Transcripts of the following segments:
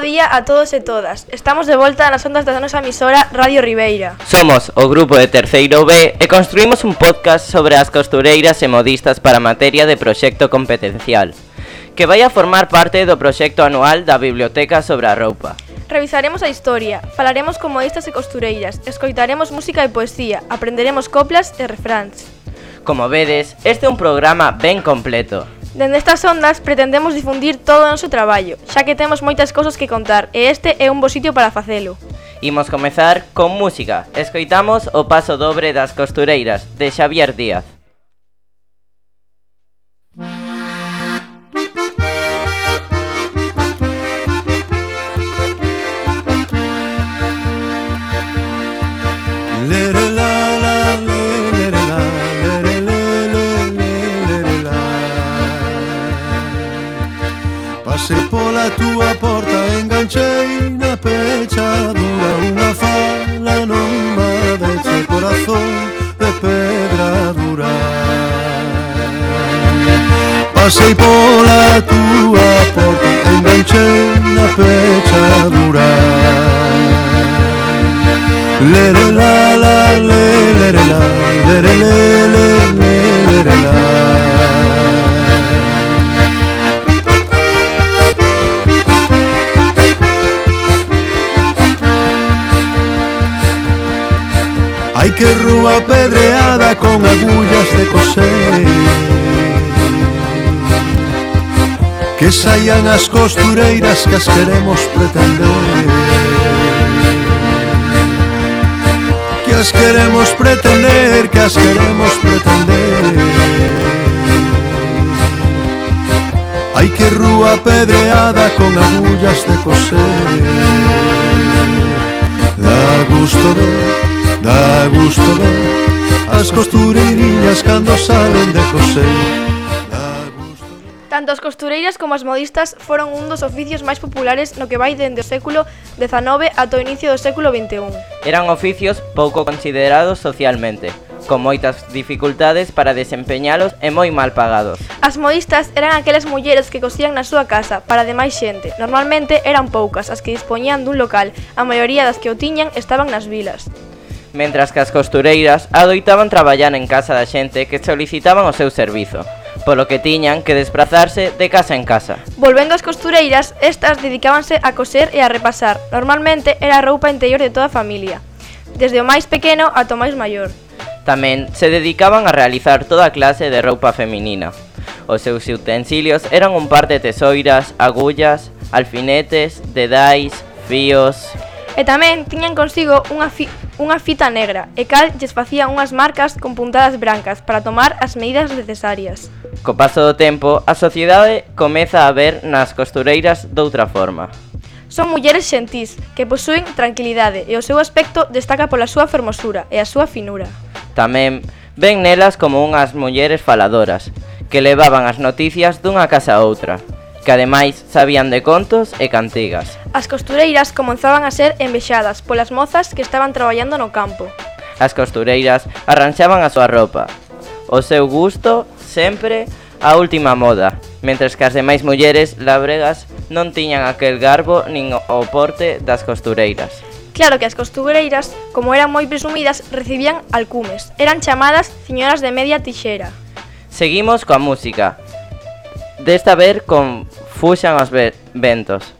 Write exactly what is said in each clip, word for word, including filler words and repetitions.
día a todos e todas. Estamos de volta nas ondas da nosa emisora Radio Ribeira. Somos o grupo de Terceiro B e construímos un podcast sobre as costureiras e modistas para materia de proxecto competencial, que vai a formar parte do proxecto anual da Biblioteca sobre a roupa. Revisaremos a historia, falaremos con modistas e costureiras, escoitaremos música e poesía, aprenderemos coplas e refráns. Como vedes, este é un programa ben completo. Dende estas ondas pretendemos difundir todo o noso traballo, xa que temos moitas cousas que contar e este é un bo sitio para facelo. Imos comezar con música. Escoitamos o paso dobre das costureiras, de Xavier Díaz. Pasei pola túa porta, enganchei na pechadura. Unha fala non me deixe corazón de pedra dura. Pasei pola túa porta, enganchei na pechadura. Lere la la lere la lere lere lere la. Ai que rúa pedreada con agullas de coser, que saian as costureiras que as queremos pretender, que as queremos pretender, que as queremos pretender. Ai que rúa pedreada con agullas de coser, dá gusto ver, dá gusto ver as costureirinhas cando salen de coser. Tanto as costureiras como as modistas foron un dos oficios máis populares no que vai dende o século dezanove ata o inicio do século vinte e un. Eran oficios pouco considerados socialmente, con moitas dificultades para desempeñalos e moi mal pagados. As modistas eran aquelas mulleres que cosían na súa casa para demais xente. Normalmente eran poucas as que dispoñían dun local, a maioría das que o tiñan estaban nas vilas. Mentras que as costureiras adoitaban traballar en casa da xente que solicitaban o seu servizo, polo que tiñan que desprazarse de casa en casa. Volvendo ás costureiras, estas dedicábanse a coser e a repasar. Normalmente era a roupa interior de toda a familia, desde o máis pequeno ata o máis maior. Tamén se dedicaban a realizar toda clase de roupa feminina. Os seus utensilios eran un par de tesoiras, agullas, alfinetes, dedais, fíos. E tamén tiñan consigo unha, fi, unha fita negra, e cal lles facía unhas marcas con puntadas brancas para tomar as medidas necesarias. Co paso do tempo, a sociedade comeza a ver nas costureiras doutra forma. Son mulleres xentís, que posúen tranquilidade e o seu aspecto destaca pola súa fermosura e a súa finura. Tamén ven nelas como unhas mulleres faladoras, que levaban as noticias dunha casa a outra, que ademais sabían de contos e cantigas. As costureiras comenzaban a ser envexadas polas mozas que estaban traballando no campo. As costureiras arranxaban a súa roupa, o seu gusto sempre a última moda, mentres que as demais mulleres labregas non tiñan aquel garbo nin o porte das costureiras. Claro que as costureiras, como eran moi presumidas, recibían alcumes. Eran chamadas señoras de media tixera. Seguimos coa música. Desta vez con Fuxan os ventos.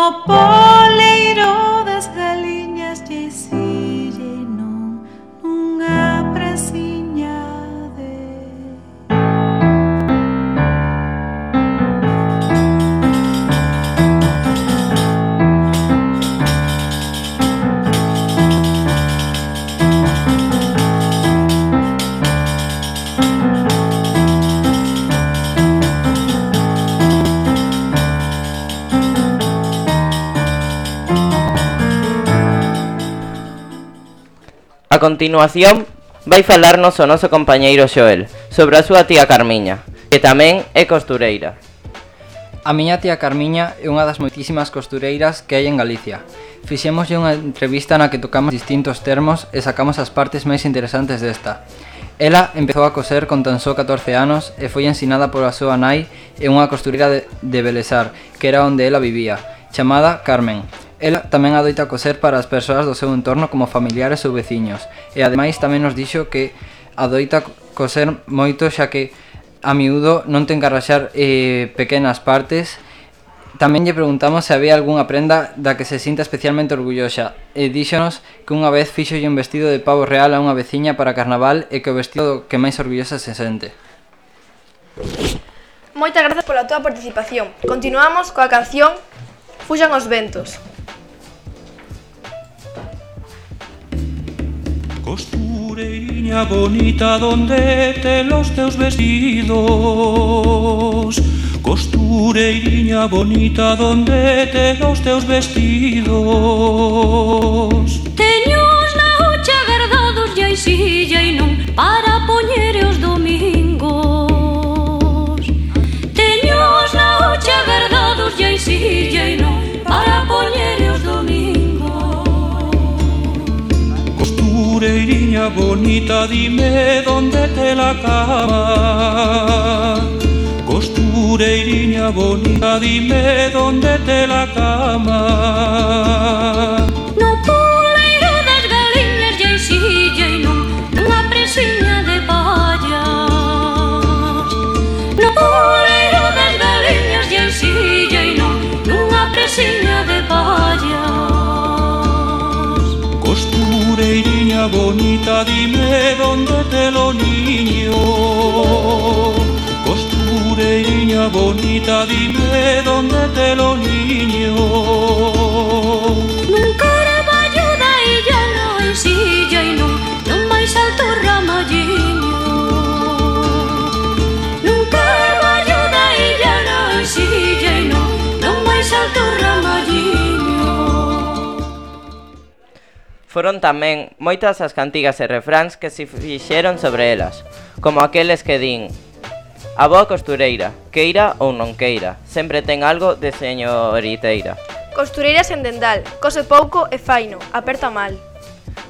no poleiro das galiñas lle sille non nunha presiña de. A continuación, vai falarnos o noso compañeiro Xoel sobre a súa tía Carmiña, que tamén é costureira. A miña tía Carmiña é unha das moitísimas costureiras que hai en Galicia. Fixémoslle unha entrevista na que tocamos distintos termos e sacamos as partes máis interesantes desta. Ela empezou a coser con tan só catorce anos e foi ensinada pola súa nai e unha costureira de, de Belesar, que era onde ela vivía, chamada Carmen. Ela tamén adoita coser para as persoas do seu entorno como familiares ou veciños, e ademais tamén nos dixo que adoita coser moito xa que a miúdo non ten que arraxar eh, pequenas partes. Tamén lle preguntamos se había algunha prenda da que se sinta especialmente orgullosa, e díxonos que unha vez fíxolle un vestido de pavo real a unha veciña para carnaval e que o vestido que máis orgullosa se sente. Moitas grazas pola túa participación. Continuamos coa canción Fuxan os ventos. Costureiriña bonita, donde te los teus vestidos? Costureiriña bonita, donde te los teus vestidos? Teños na hucha guardados e hai silla e non para poñer os domingos. Teños na hucha guardados e hai silla e non para poñer os domingos. Costureiriña bonita, dime dónde te la cama. Costureiriña bonita, dime dónde te la cama. No poleiro das galiñas e hai silla e non nunha presiña de pallas. No poleiro das galiñas e hai silla e non nunha presiña de pallas. Costureiriña bonita, dime dónde te lo niño. Costureiriña bonita, dime dónde te lo niño. Nun carballo da illa non hai silla e non non máis alto ramalliño. Nun carballo da illa non hai silla e non non máis alto ramalliño. Foron tamén moitas as cantigas e refráns que se fixeron sobre elas, como aqueles que din: a boa costureira, queira ou non queira, sempre ten algo de señoriteira. Costureira sen dendal, cose pouco e faino, aperta mal.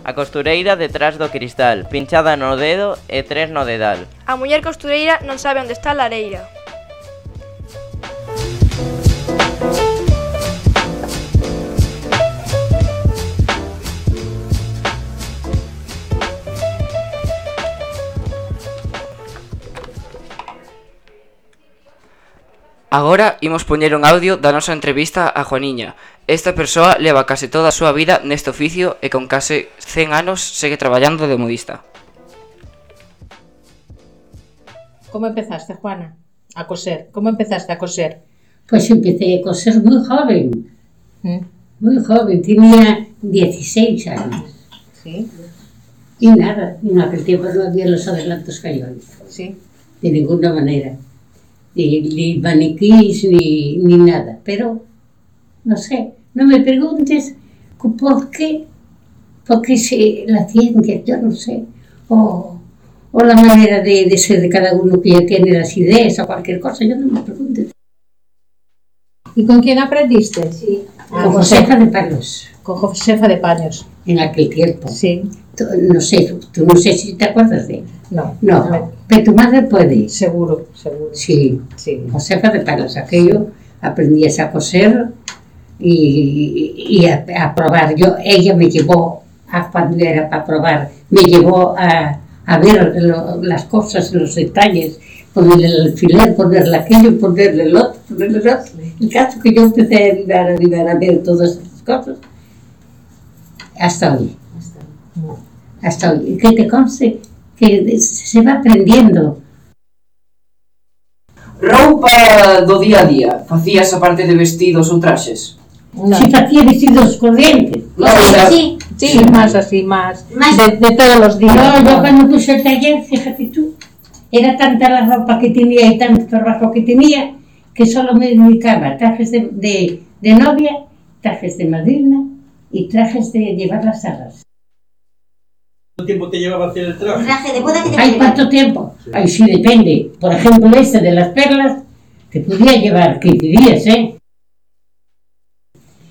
A costureira detrás do cristal, pinchada no dedo e tres no dedal. A muller costureira non sabe onde está a lareira. Agora imos poñer un audio da nosa entrevista a Juaniña. Esta persoa leva case toda a súa vida neste oficio e con case cen anos segue traballando de modista. Como empezaste, Juana, a coser? Como empezaste a coser? Pues empecé a coser muy joven, ¿Mm? muy joven, tenía dieciséis años. Sí, Y nada, en aquel tiempo no había los adelantos que hay hoy, sí. de ninguna manera. Ni, ni maniquís, ni, ni nada. Pero, no sé, no me preguntes por qué, porque se, la ciencia, yo no sé, o, o la manera de, de ser de cada uno que ya tiene las ideas o cualquier cosa, yo no me preguntes. ¿Y con quién aprendiste? Sí, Ah, con Josefa de Palos, Con Josefa de Paños. en aquel tiempo. Sí. Tú, no sé, tú no sé si te acuerdas de él. No. No, no. pero tu madre puede. Seguro, seguro. Sí, Sí. Josefa de Palos, aquello, aprendías a coser y, y a, a probar. Yo, ella me llevó, a, cuando era para probar, me llevó a, a ver lo, las cosas, los detalles, ponerle el alfiler, ponerle aquello, ponerle el otro, ponerle el otro. El caso que yo empecé a ayudar, a ayudar a ver todas esas cosas hasta hoy. Hasta hoy. Y que te conste que se va aprendiendo. Roupa do día a día, facías a parte de vestidos ou traxes? No. Si facía vestidos corrientes. No, era... Sí, sí, Sí. más así, más, Más- de, de todos los días. No, yo cuando puse el taller, fíjate tú, era tanta la ropa que tenía y tanto trabajo que tenía que solo me dedicaba a trajes de, de, de novia, trajes de madrina y trajes de llevar las salas. ¿Cuánto tiempo te llevaba a hacer el traje? Traje de boda que te ¿Hay lleva. cuánto tiempo? Ay, sí, depende. Por ejemplo, este de las perlas, te podía llevar quince días, ¿eh?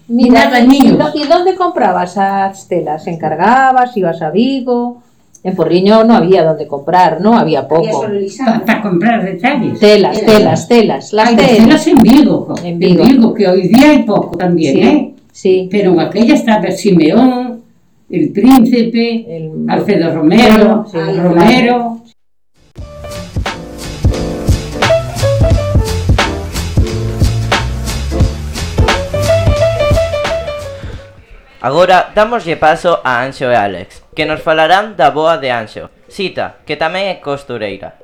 Y nada, ¿y, niños. do- ¿y dónde comprabas las telas? ¿Encargabas? ¿Ibas a Vigo? En Porriño no había donde comprar, ¿no? Había Había poco. solo lisado. Para comprar detalles. Telas, telas, telas. Las Hay telas. telas en Vigo, jo. En en Vigo. Vigo, que hoy día hay poco también, Sí, ¿eh? sí. Pero en aquella estaba Simeón, el Príncipe, El- Alfredo Romero, Sí, Romero. Agora damoslle paso a Anxo e Alex, que nos falarán da boa de Anxo, Sita, que tamén é costureira.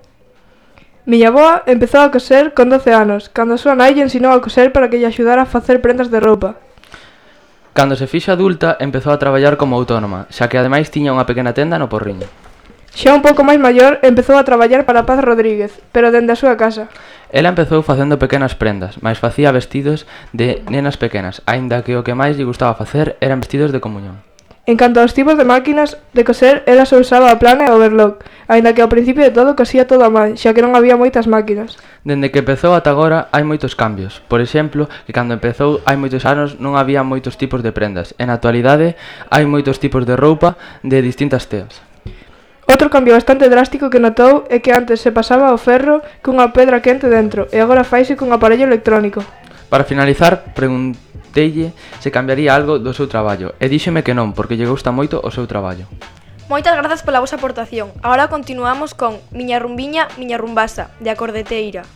Miña avoa empezou a coser con doce anos, cando a súa nai lle ensinou a coser para que lle axudara a facer prendas de roupa. Cando se fixo adulta, empezou a traballar como autónoma, xa que ademais tiña unha pequena tenda no Porriño. Xa un pouco máis maior, empezou a traballar para Paz Rodríguez, pero dende a súa casa. Ela empezou facendo pequenas prendas, mais facía vestidos de nenas pequenas, aínda que o que máis lle gustaba facer eran vestidos de comunión. En canto aos tipos de máquinas de coser, ela só usaba a plana e o overlock, aínda que ao principio de todo cosía todo a man, xa que non había moitas máquinas. Dende que empezou ata agora hai moitos cambios. Por exemplo, que cando empezou hai moitos anos non había moitos tipos de prendas. En a actualidade hai moitos tipos de roupa de distintas teas. Outro cambio bastante drástico que notou é que antes se pasaba o ferro cunha pedra quente dentro e agora faise cun aparello electrónico. Para finalizar, pregunteille se cambiaría algo do seu traballo e díxeme que non, porque lle gusta moito o seu traballo. Moitas grazas pola vosa aportación. Agora continuamos con Miña rumbiña, miña rumbasa, de Acordeteira.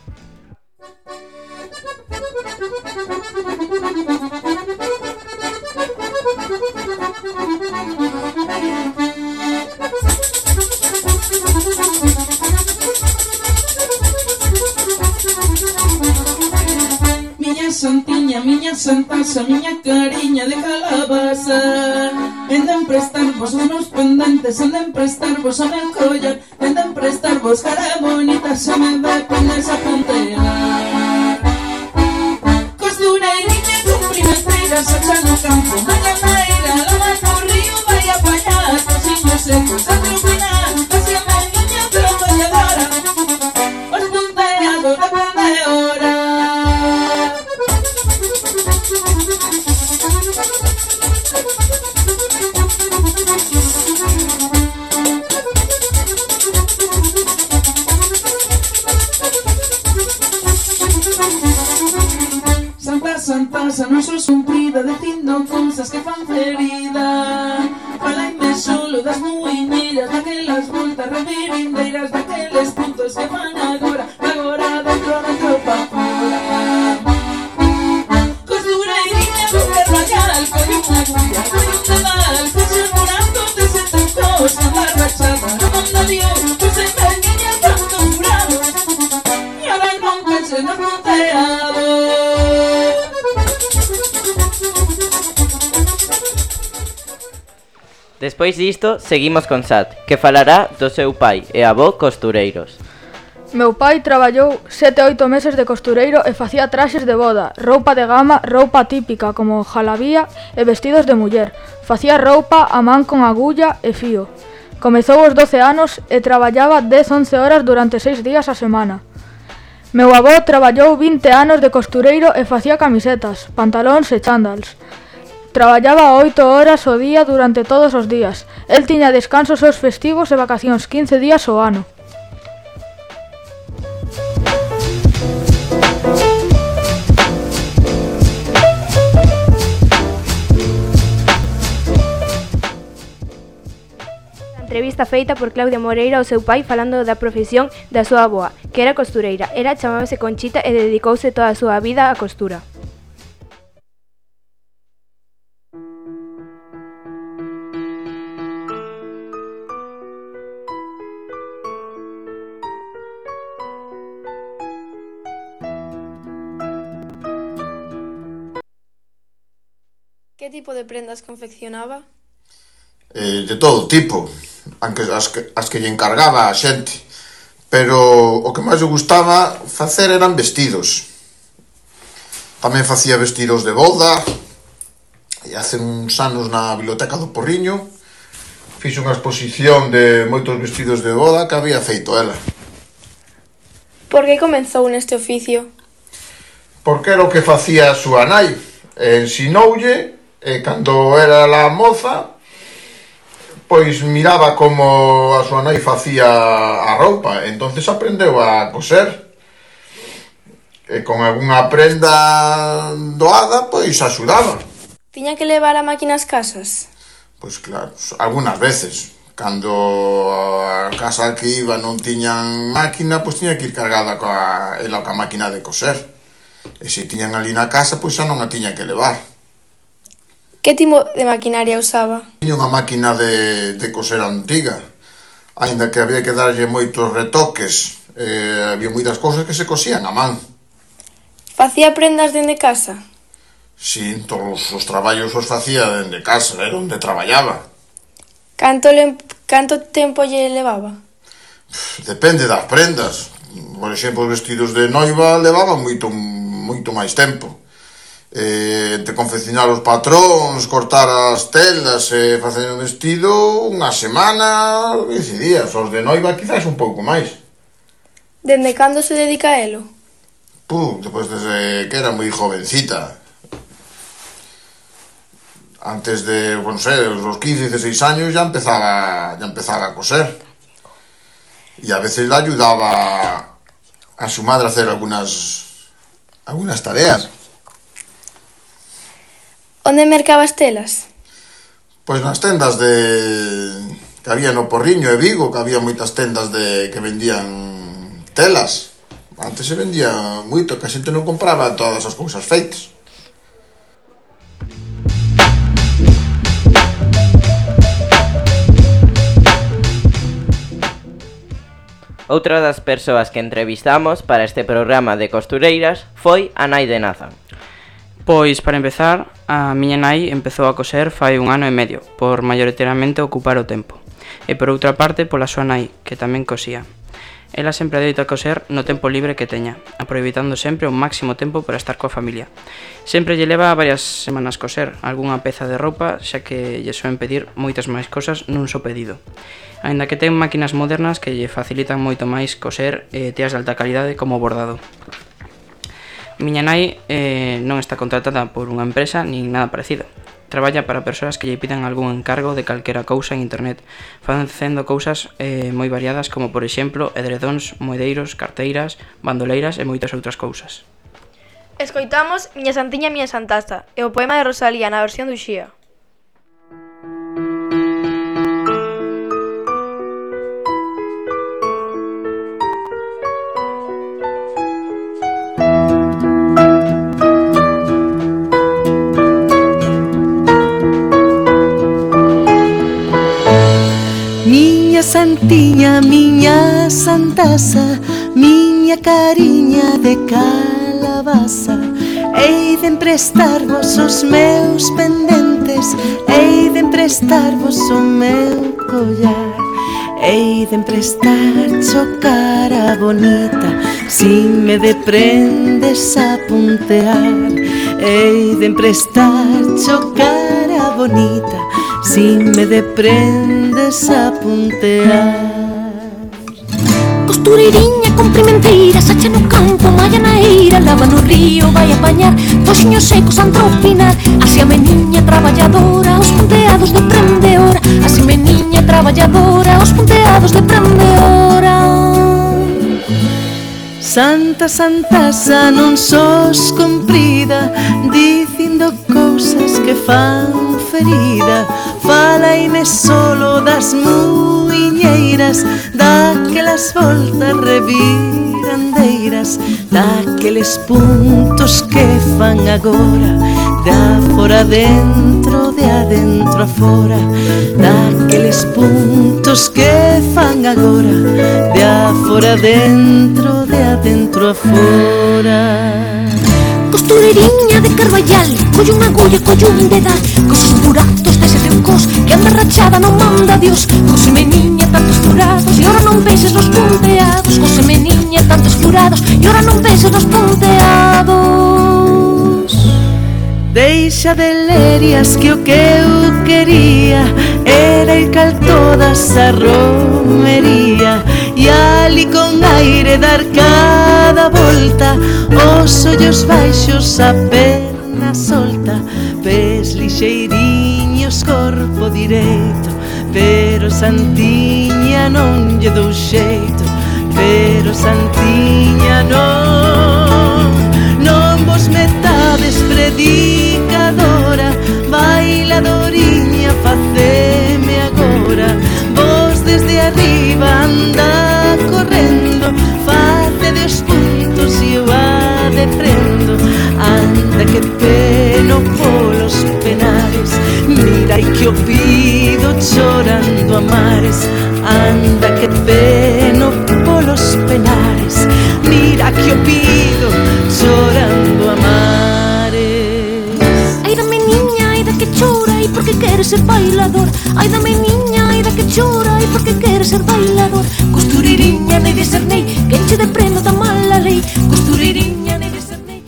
Miña santiña, miña santaxa, miña cariña de calabaza. Venden prestarvos unos pendentes, venden prestarvos a meu collar, venden prestarvos cara bonita, xa me ve pendes a puntear. Costureiriña cumprimenteira, sacha no campo, maña maera, lava no río, vai a apañar, cosiños secos a terminar, así a mendiña traballadora, os punteados de pendeora. Santa, Santa, non sos cumprida, dicindo cousas que fan ferida. Falaime solo das muiñeiras, daquelas voltas revirindeiras, daqueles puntos que fan agora, agora dentro, dentro pa fora. Costureiriña con perrayal, con unha cuya, con un dedal, con un morando de sete cos, na rachada, non manda Dios, pues en verguiña tanto jurado, e ahora non cache no punteado. Despois disto, seguimos con Sat, que falará do seu pai e avó costureiros. Meu pai traballou sete oito meses de costureiro e facía traxes de boda, roupa de gama, roupa típica como jalabía e vestidos de muller. Facía roupa a man con agulla e fío. Comezou aos doce anos e traballaba dez a once horas durante seis días a semana. Meu avó traballou vinte anos de costureiro e facía camisetas, pantalóns e chándals. Traballaba oito horas ao día durante todos os días. El tiña descansos aos festivos e vacacións quince días ao ano. Na entrevista feita por Claudia Moreira ao seu pai falando da profesión da súa avoa, que era costureira. Ela chamábase Conchita e dedicouse toda a súa vida á costura. Que tipo de prendas confeccionaba? Eh, de todo tipo, aunque as que, as que lle encargaba a xente, pero o que máis lle gustaba facer eran vestidos. Tamén facía vestidos de boda, e hace uns anos na Biblioteca do Porriño fixe unha exposición de moitos vestidos de boda que había feito ela. Por que comenzou neste oficio? Porque era o que facía a súa nai, ensinoulle. E cando era la moza, pois miraba como a súa nai facía a roupa, entonces aprendeu a coser. E con algunha prenda doada, pois axudaba. Tiña que levar a máquina ás casas? Pois claro, algunhas veces. Cando a casa que iba non tiñan máquina, pois tiña que ir cargada coa, ela coa máquina de coser. E se tiñan ali na casa, pois xa non a tiña que levar. Que tipo de maquinaria usaba? Tiña unha máquina de, de coser antiga, aínda que había que darlle moitos retoques, eh, había moitas cousas que se cosían a man. Facía prendas dende casa? Si, todos os traballos os facía dende casa, era onde traballaba. Canto, le, canto tempo lle levaba? Depende das prendas. Por exemplo, os vestidos de noiva levaban moito, moito máis tempo. Eh, entre confeccionar os patróns, cortar as telas e facer o vestido, unha semana, quince días. Os de noiva quizás un pouco máis. Dende cando se dedica a elo? Puh, depois desde que era moi jovencita. Antes de, bueno, sei, os quince, dieciséis años ya empezaba, ya empezaba a coser. E a veces le ayudaba a su madre a hacer algunas, algunas tareas. Onde mercaba as telas? Pois nas tendas de que había no Porriño e Vigo, que había moitas tendas de que vendían telas. Antes se vendía moito, que a xente non compraba todas as cousas feitas. Outra das persoas que entrevistamos para este programa de costureiras foi a nai de Nathan. Pois, para empezar, a miña nai empezou a coser fai un ano e medio, por maioritariamente ocupar o tempo. E por outra parte, pola súa nai, que tamén cosía. Ela sempre adoita coser no tempo libre que teña, aproveitando sempre o máximo tempo para estar coa familia. Sempre lle leva varias semanas coser algunha peza de roupa, xa que lle soen pedir moitas máis cosas nun só pedido. Aínda que ten máquinas modernas que lle facilitan moito máis coser eh, teas de alta calidade como bordado. Miña nai eh, non está contratada por unha empresa nin nada parecido. Traballa para persoas que lle pidan algún encargo de calquera cousa en internet, facendo cousas eh, moi variadas como, por exemplo, edredóns, moedeiros, carteiras, bandoleiras e moitas outras cousas. Escoitamos Miña Santiña, Miña Santasa e o poema de Rosalía na versión do Uxía. Santiña, miña santasa, miña cariña de calabaza. Hei de emprestarvos os meus pendentes, hei de emprestarvos o meu collar, hei de emprestar cho cara bonita, si me deprendes a puntear. Hei de emprestar cho cara bonita, si me deprendes a puntear. Costureiriña comprimenteira, sacha no campo, malla na eira, lava no río, vai apañar toxiños secos a antropinar. Así a meniña traballadora, os punteados de prendeora. Así meniña traballadora, os punteados de prendeora. Santa Santasa non sos comprida, dicindo cousas que fan ferida, falaime solo das muiñeiras, daquelas voltas revirandeiras, daqueles puntos que fan agora, de afora dentro, de adentro a fora, daqueles puntos que fan agora, de afora dentro, de adentro a fora. Costureiriña de Carballal, collo unha agulla, collo un dedal, cos buratos dese teu cos que anda rachada non manda Dios. Coseme niña tantos furados e ora non penses nos punteados, coseme niña tantos furados e ora non penses nos punteados. Deixa de lerias que o que eu quería era ir cal todas a romería, e ali con aire dar cada volta, os ollos baixos, a perna solta, pés lixeiriños, corpo direito, pero Santiña non lle dou xeito, pero Santiña non, non vos metades predicadora, bailadoriña, faceme agora, vos desde arriba anda correndo, face de os puntos e eu a defrendo, anda que peno polos penares, mira e que o pido chorando a mares, anda que peno polos penares, mira que o pido chorando a mares. Ai da meniña, ai da que chora e porque quere ser bailador, ai da meniña, ai da que chora e porque quere ser bailador. Costureiriña nei de ser nei, que enche de prendo da mala lei, costureiriña nei de ser nei.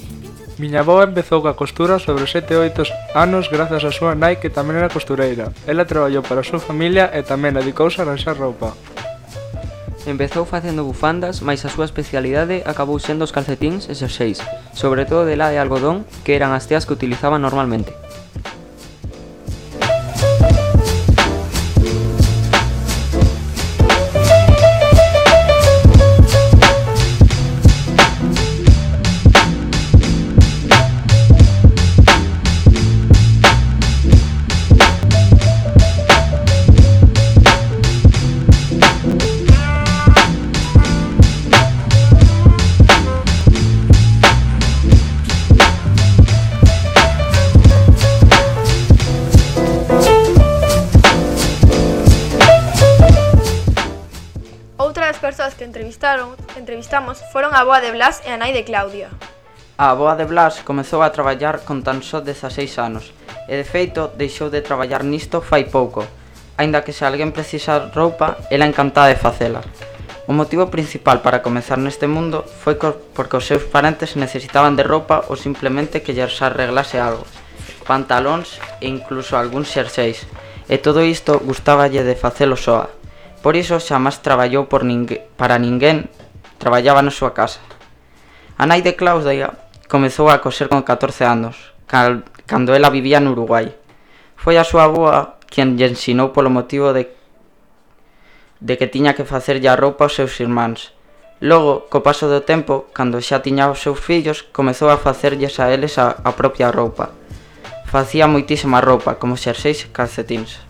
Miña avoa empezou coa costura sobre sete ou oito anos grazas a súa nai que tamén era costureira. Ela traballou para a súa familia e tamén dedicouse a arranxar roupa. Empezou facendo bufandas, mais a súa especialidade acabou sendo os calcetíns e xerseis, sobre todo de la de algodón, que eran as teas que utilizaban normalmente. Persoas que entrevistaron, entrevistamos foron a avoa de Blas e a nai de Claudia. A avoa de Blas comezou a traballar con tan só dezaseis anos e de feito deixou de traballar nisto fai pouco, aínda que se alguén precisa roupa, ela encantada de facela. O motivo principal para comezar neste mundo foi porque os seus parentes necesitaban de roupa ou simplemente que lles arreglase algo, pantalóns e incluso algúns xerseis, e todo isto gustáballe de facelo soa. Por iso xamás traballou por ninguén, para ninguén, traballaba na súa casa. A nai de Claudia comezou a coser con catorce anos, cal, cando ela vivía no Uruguai. Foi a súa avoa quen lle ensinou polo motivo de, de que tiña que facerlle a roupa aos seus irmáns. Logo, co paso do tempo, cando xa tiña os seus fillos, comezou a facerlles a eles a, a propia roupa. Facía moitísima roupa, como xerseis e calcetíns.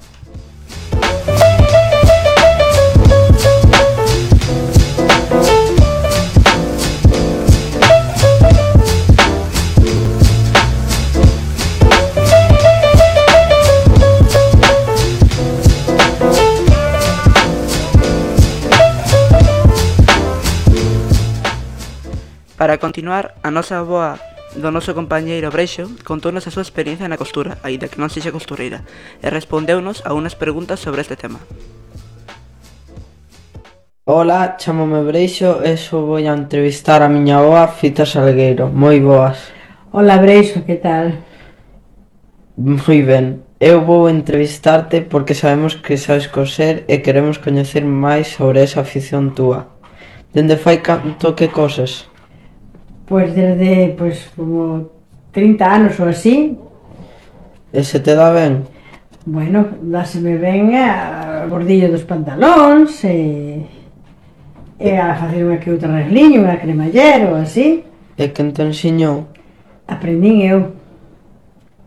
Para continuar, a nosa avoa do noso compañeiro Breixo contounos a súa experiencia na costura, aínda que non sexa costureira, e respondeunos a unas preguntas sobre este tema. Ola, chamome Breixo e xo vou a entrevistar a miña avoa Fita Salgueiro. Moi boas. Ola Breixo, que tal? Moi ben. Eu vou entrevistarte porque sabemos que sabes coser e queremos coñecer máis sobre esa afición túa. Dende fai canto que coses? Pois desde, pois, como trinta anos ou así. E se te dá ben? Bueno, dáseme ben a bordillo dos pantalóns e, e a facer unha que outra regliño, unha cremallera ou así. E quen te ensiñou? Aprendín eu.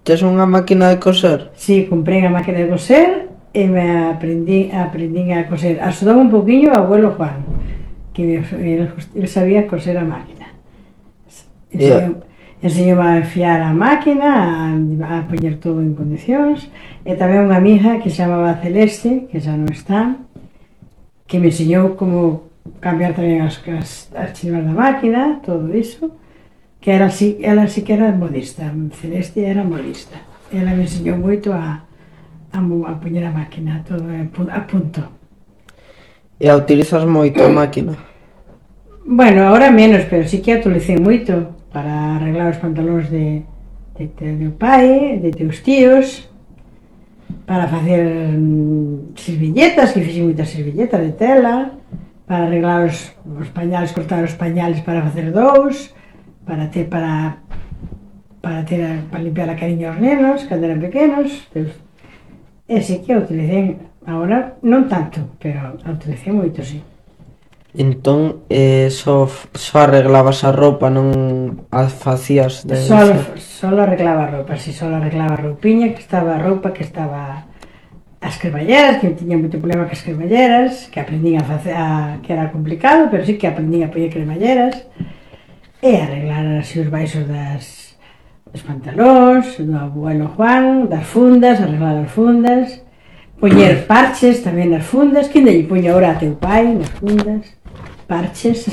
tes unha máquina de coser? Si, comprei unha máquina de coser e me aprendí, aprendí a coser. Axudou un poquinho o abuelo Juan, que me, él, él sabía coser a máquina. Enseñou, enseñou a enfiar a máquina, a, a poñer todo en condicións, e tamén unha amiga que se chamaba Celeste, que xa non está, que me enseñou como cambiar tamén as, as, as chivas da máquina, todo iso, que era así, ela sí que era modista, Celeste era modista. Ela me enseñou moito a A, a poñer a máquina, todo a punto. E a utilizas moito a máquina? Bueno, ahora menos, pero sí que a utilicei moito para arreglar os pantalóns de, de, de meu pai, de teus tíos, para facer mm, servilletas, que fixen moitas servilletas de tela, para arreglar os, os pañales, cortar os pañales para facer dous, para ter para para ter para limpiar a cariño aos nenos cando eran pequenos. Teus, E sí que a utilicei, agora non tanto, pero a utilicei moito, sí. Entón, eh, só, só arreglabas a roupa, non a facías de... Solo, solo arreglaba a roupa, si, solo arreglaba a roupiña, que estaba a roupa, que estaba as cremalleras, que tiña moito problema cas cremalleras, que aprendín a facer, a, que era complicado, pero sí que aprendín a poñer cremalleras, e arreglar así os baixos das... os pantalóns, do abuelo Juan, das fundas, arreglar as fundas, poñer parches tamén nas fundas, que lle poño ahora a teu pai nas fundas, parches,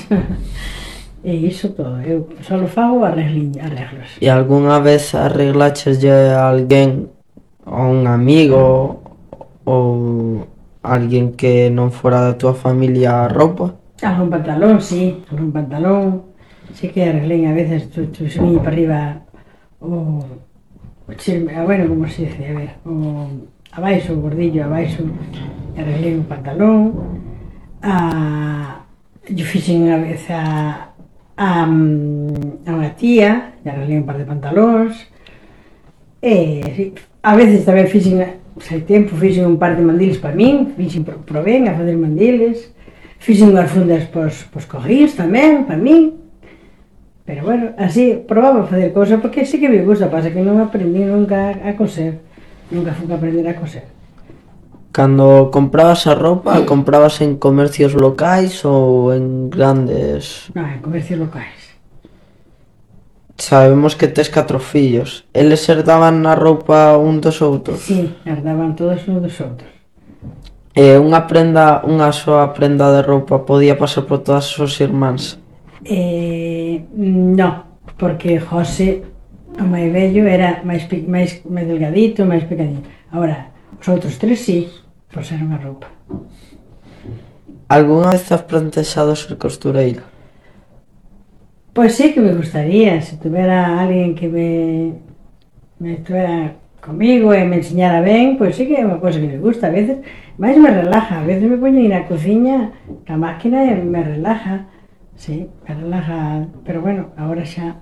e iso todo, eu só fago arreglos. E algunha vez arreglacheslle a alguén, a un amigo, ou alguén que non fora da tua familia a roupa? Algún pantalón, sí, algún pantalón, sí que arreglei a veces, tu, tu subí para arriba o, o chisme, bueno, como se dice, a ver, o abaixo, o gordillo abaixo, arreglei un pantalón, a, yo fixen unha vez a, a, a unha tía, e arreglei un par de pantalóns, e sí, a veces tamén fixen, hai tempo, fixen un par de mandiles para min, fixen, probén a fazer mandiles, fixen unhas fundas pos, pos cojís tamén, para min. Pero bueno, así, probaba a facer cousas, porque sí que me gusta, pasa que non aprendí nunca a coser, nunca fui a aprender a coser. Cando comprabas a roupa, comprabas en comercios locais ou en grandes... Non, en comercios locais. Sabemos que tes catro fillos, eles herdaban a roupa un dos outros? Sí, herdaban todos un dos outros. E unha prenda, unha soa prenda de roupa podía pasar por todas as súas irmáns? Eh, no, porque José, o máis vello, era máis, máis, máis delgadito, máis pequeniño. Agora, os outros tres sí, por ser unha roupa. Alguna vez has plantexado ser costureira? Pois sí que me gustaría, se tuvera alguén que me, me estuvera comigo e me enseñara ben, pois sí que é unha cosa que me gusta, a veces, máis me relaja, a veces me poño ir á cociña, a máquina e me relaja. Sí, me relaja, pero bueno, ahora xa...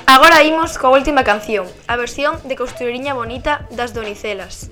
Agora imos coa última canción, a versión de Costureriña Bonita das Donicelas.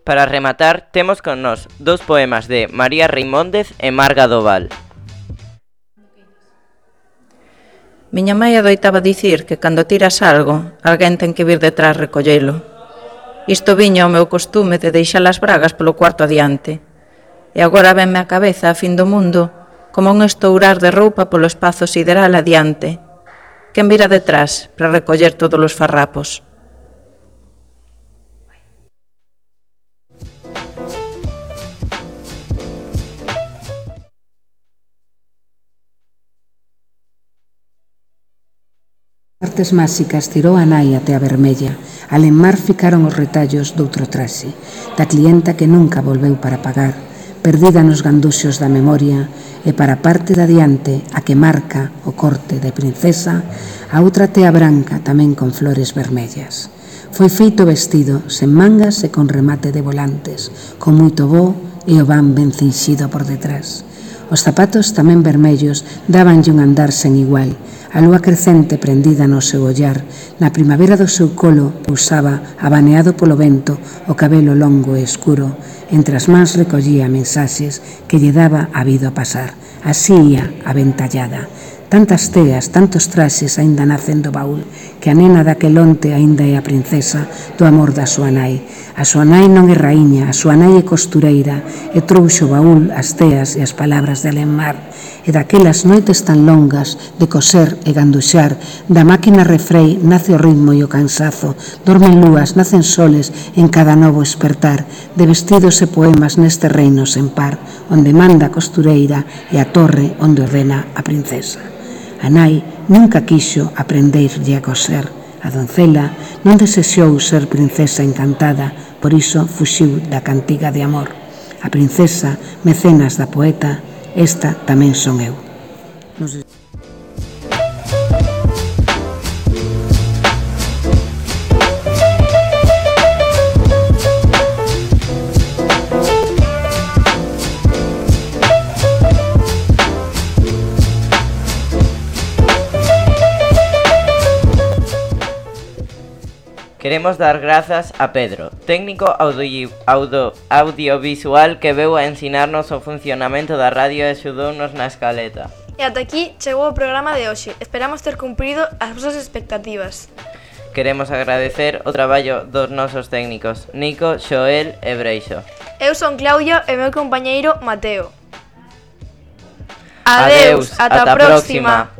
Para rematar, temos con nós dous poemas de María Reimóndez e Marga Doval. Miña mãe adoitaba dicir que cando tiras algo, alguén ten que vir detrás recollelo. Isto viña ao meu costume de deixar as bragas polo cuarto adiante. E agora venme á cabeza a fin do mundo como un estourar de roupa polo espazo sideral adiante. Quen vira detrás para recoller todos os farrapos? Artes máxicas tirou a nai até a vermella. Al enmar ficaron os retallos doutro traxe, da clienta que nunca volveu para pagar, perdida nos ganduxos da memoria, e para a parte de adiante, a que marca o corte de princesa, a outra tea branca tamén con flores vermellas. Foi feito vestido, sen mangas e con remate de volantes, con moito bo e o van ben cinxido por detrás. Os zapatos tamén vermellos dabanlle un andar sen igual. A lúa crecente prendida no seu ollar, na primavera do seu colo pousaba, abaneado polo vento, o cabelo longo e escuro. Entre as mans recollía mensaxes que lle daba a vida a pasar. Así ia, aventallada. Tantas teas, tantos traxes aínda nacen do baúl, que a nena daquel onte aínda é a princesa do amor da súa nai. A súa nai non é raíña, a súa nai é costureira, e trouxo o baúl, as teas e as palabras de Alenmar. E daquelas noites tan longas de coser e ganduxar, da máquina refrei nace o ritmo e o cansazo, dormen lúas, nacen soles en cada novo espertar, de vestidos e poemas neste reino sen par, onde manda a costureira e a torre onde ordena a princesa. A nai nunca quixo aprenderlle a coser. A doncela non desexou ser princesa encantada, por iso fuxiu da cantiga de amor. A princesa, mecenas da poeta, esta tamén son eu. Non sei. Queremos dar grazas a Pedro, técnico audio, audio, audiovisual que veu a ensinarnos o funcionamento da radio e axudounos na escaleta. E ata aquí chegou o programa de hoxe. Esperamos ter cumprido as vosas expectativas. Queremos agradecer o traballo dos nosos técnicos, Nico, Xoel e Breixo. Eu son Claudia e meu compañeiro Mateo. Adeus, ata a próxima.